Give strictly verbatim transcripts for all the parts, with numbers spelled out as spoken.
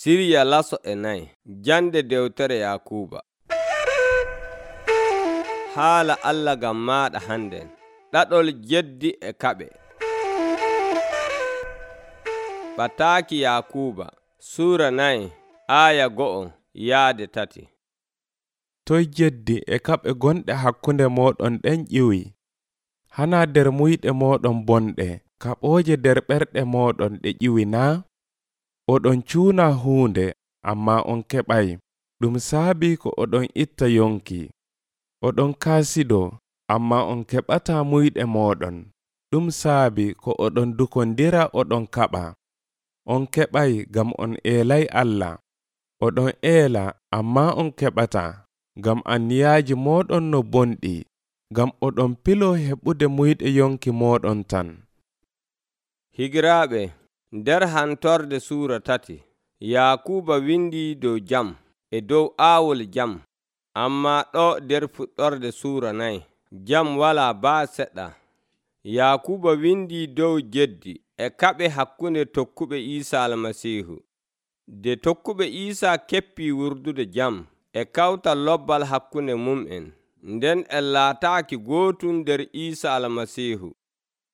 Siriya laso e nayi. Jande dewtere Yakuuba. Haala Allah gam maaɗa hannden. Ɗaɗol jeddi e kaɓe. Ɓataaki Yakuuba Suura nayi aaya go'o yaade tati. Toy jeddi e kaɓe gonɗe hakkunde mooɗon ɗen ƴiwi. Hana nder muyɗe mooɗon bonɗe, kaɓooje nder ɓerɗe mooɗon ɗe ƴiwi naa? Oɗon cuuna huunde, ammaa on keɓay. Ɗum saabii ko oɗon itta yonki. Oɗon kaasido, ammaa on keɓataa muyɗe mooɗon. Ɗum saabii ko oɗon dukondira oɗon kaɓa. On keɓay ngam on eelay Allah. Oɗon eela, ammaa on keɓataa, ngam anniyaaji mooɗon no bonɗi, ngam oɗon piloo heɓude muyɗe yonki mooɗon tan. Higiraaɓe, nder hantorde suura tati, Yakuuba windi dow jam e dow aawol jam, ammaa ɗo nder fuɗɗorde suura nayi, jam walaa baa seɗɗa. Yakuuba windi dow jeddi e kaɓe hakkunde tokkuɓe Iisaa Almasiihu. De tokkuɓe Iisaa keppii wurdude jam e kawtal lobbal hakkunde mum'en, nden en laataaki gootum nder Iisaa Almasiihu,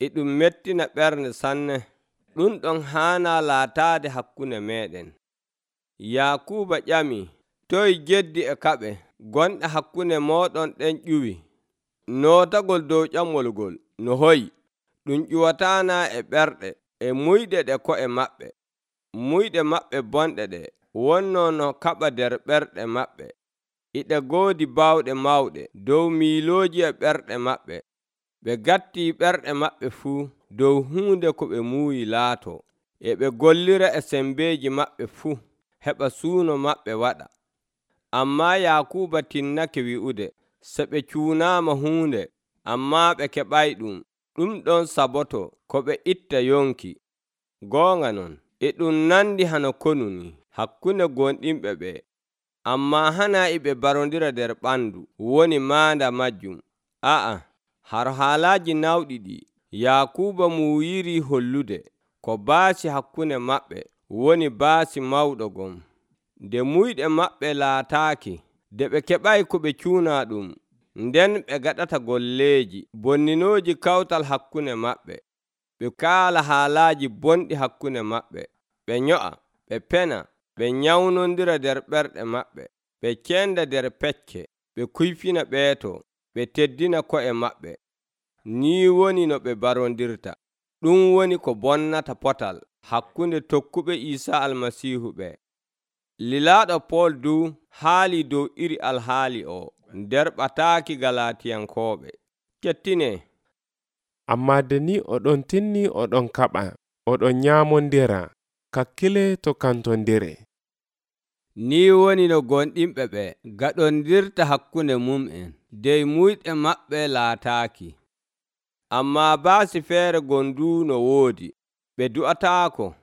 e ɗum mettina ɓernde sanne. Ɗum ɗon haanaa laataade hakkunde meeɗen. Yakuuba ƴami, toy jeddi e kaɓe gonɗe hakkunde mooɗon ɗen ƴuwi? Nootagol dow ƴamol ngol no hoyi, ɗum ƴuwataana e ɓerɗe e muyɗe ɗe ko'e maɓɓe. Muyɗe maɓɓe bonɗe ɗe wonnoo no kaɓa nder ɓerɗe maɓɓe. Iɗe goodi baawɗe mawɗe dow miilooji e ɓerɗe maɓɓe. Ɓe gattii ɓerɗe maɓɓe fuu dow huunde ko ɓe muuyi laato, e ɓe gollira e sembeeji maɓɓe fuu, heɓa suuno maɓɓe waɗa. Ammaa Yakuuba tinnake wi'ude, so ɓe cuunaama huunde, ammaa ɓe keɓay ɗum, ɗum ɗon saboto ko ɓe itta yonki. Goonga non, e ɗum nandi hano konuni hakkunde gonɗinɓe ɓe, ammaa hana e ɓe barondira nder ɓandu woni maanda majjum. A'a, har haalaaji nawɗi ɗi Yakuuba muuyiri hollude ko baasi hakkunde maɓɓe woni baasi mawɗo gom. Nde muyɗe maɓɓe laataaki, de ɓe keɓay ko ɓe cuuna ɗum, nden ɓe gaɗata golleeji bonninooji kawtal hakkunde maɓɓe. Ɓe kaala haalaaji bonɗi hakkunde maɓɓe, ɓe nyo'a, ɓe pena, ɓe nyawnondira nder ɓerɗe maɓɓe, ɓe cenda nder pecce, ɓe kuyfina ɓeeto, ɓe teddina ko'e maɓɓe. Nii woni no ɓe barondirta. Ɗum woni ko bonnata potal hakkunde tokkuɓe Iisaa Almasiihu ɓe. Lilaaɗo Pool du haali dow iri alhaali o nder ɓataaki Galatiyankooɓe. Kettine. Ammaa de ni oɗon tinni oɗon kaɓa, oɗon nyaamondira, kakkile to kantondire. Ni woni no gonɗinɓe ɓe gaɗondirta hakkunde mum'en, dey muyɗe maɓɓe laataaki. Ammaa baasi feere gondu no woodi, ɓe du'ataako.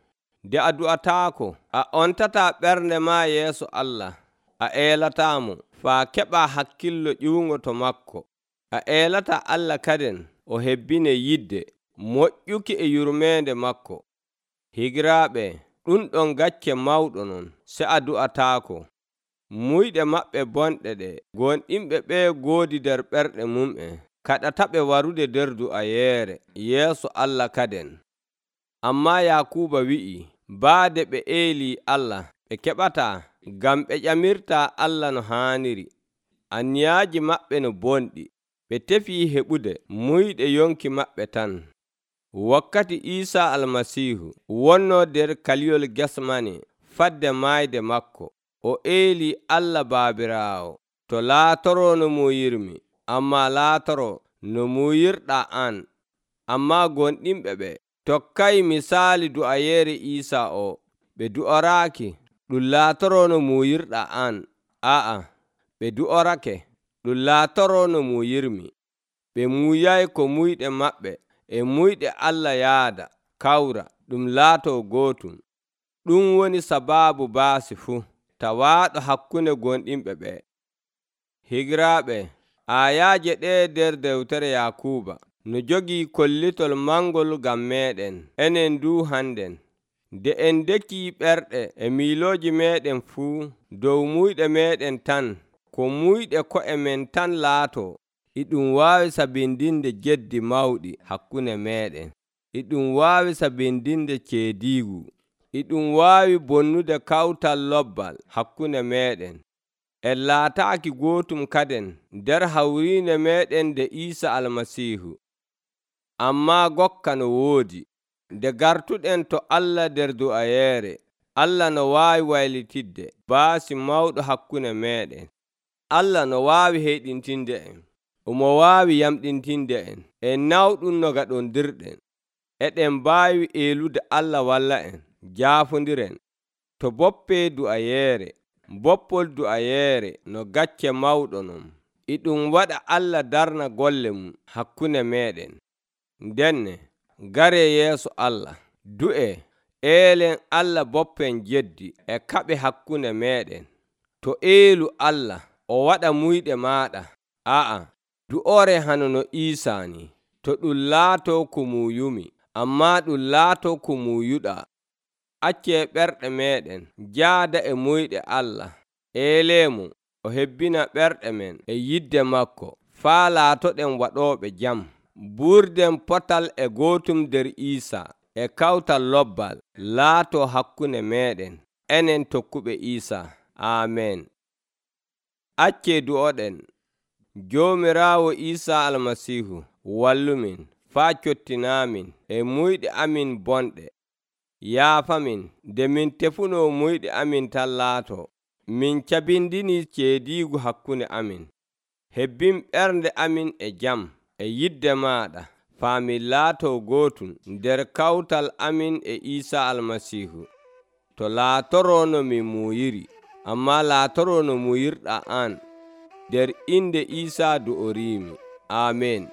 De a du'ataako, a ontataa ɓernde maa yeeso Allah, a eelataamo faa keɓaa hakkillo ƴiwugo to makko. A eelata Allah kaden o hebbine yidde moƴƴuki e yurmeende makko. Higiraaɓe, ɗum ɗon gacce mawɗo non, se a du'ataako. Muyɗe maɓɓe bonɗe ɗe gonɗinɓe ɓe goodi nder ɓerɗe mum'en, kaɗataɓe warude nder du'ayeere yeeso Allah kaden. Ammaa Yakuuba wi'i, baade ɓe eelii Allah, ɓe keɓataa, ngam ɓe ƴamirtaa Allah no haaniri. Anniyaaji maɓɓe no bonɗi, ɓe tefii heɓude muyɗe yonki maɓɓe tan. Wakkati Iisaa Almasiihu wonnoo nder kaliyol Gesmane fadde maayde makko, o eelii Allah Baabiraawo to laatoroo no muuyirmi, ammaa laatoroo no muuyirɗaa an. Ammaa gonɗinɓe ɓe tokkay misaali du'ayeere Iisaa o, ɓe du'oraaki ɗum laatoroo no muuyirɗaa an. A'a, ɓe du'orake ɗum laatoroo no muuyirmi. Ɓe muuyay ko muyɗe maɓɓe e muyɗe Allah yaada kawra ɗum laatoo gootum. Ɗum woni sabaabu baasi fuu tawaaɗo hakkunde gonɗinɓe ɓe. Higiraaɓe, aayaaje ɗe nder dewtere Yakuuba no jogii kollitol mangol ngam meeɗen enen du hannden. nde en dekii ɓerɗe e miilooji meeɗen fuu dow muyɗe meeɗen tan, ko muyɗe ko'e men tan laatoo, e ɗum waawi sabindinde geddi mawɗi hakkunde meeɗen, e ɗum waawi sabindinde ceediigu, e ɗum waawi bonnude kawtal lobbal hakkunde meeɗen. En laataaki gootum kaden nder hawriinde meeɗen nde Iisa Almasiihu. Ammaa gokka no woodi, nde gartuɗen to Allah nder du'ayeere, Allah no waawi waylitidde baasi mawɗo hakkunde meeɗen. Allah no waawi heyɗintinde en, omo waawi yamɗintinde en, en nawɗum no gaɗondirɗen. Eɗen mbaawi eelude Allah walla en, jaafondiren. To boppee du'ayeere, boppol du'ayeere no gacce mawɗo non, e ɗum waɗa Allah darna golle mum hakkunde meeɗen. Ndenne, garee yeeso Allah, du'e, eelen Allah boppen jeddi e kaɓe hakkunde meeɗen. To eelu Allah o waɗa muyɗe maaɗa, a'a, du'ore hano no Iisaa ni. To ɗum laatoo ko muuyumi, ammaa ɗum laatoo ko muuyuɗaa. Accee ɓerɗe meeɗen njaada e muyɗe Allah, eeleemo o hebbina ɓerɗe men e yidde makko, faa laatoɗen waɗooɓe jam. Buurden potal e gootum nder Iisaa, e kawtal lobbal laatoo hakkunde meeɗen, enen tokkuɓe Iisaa. Aamen. Accee du'oɗen. Joomiraawo Iisaa Almasiihu wallumin faa cottinaamin e muyɗe amin bonɗe. Yaafamin nde min tefunoo muyɗe amin tan laatoo. Min cabindini ceediigu hakkunde amin. Hebbin ɓernde amin e jam e yidde maaɗa, faa min laatoo gootum nder kawtal amin e Iisaa Almasiihu. To laatoroo no min muuyiri, ammaa laatoroo no muuyirɗaa aan. Nder inde Iisaa du'oriimi. Aamen.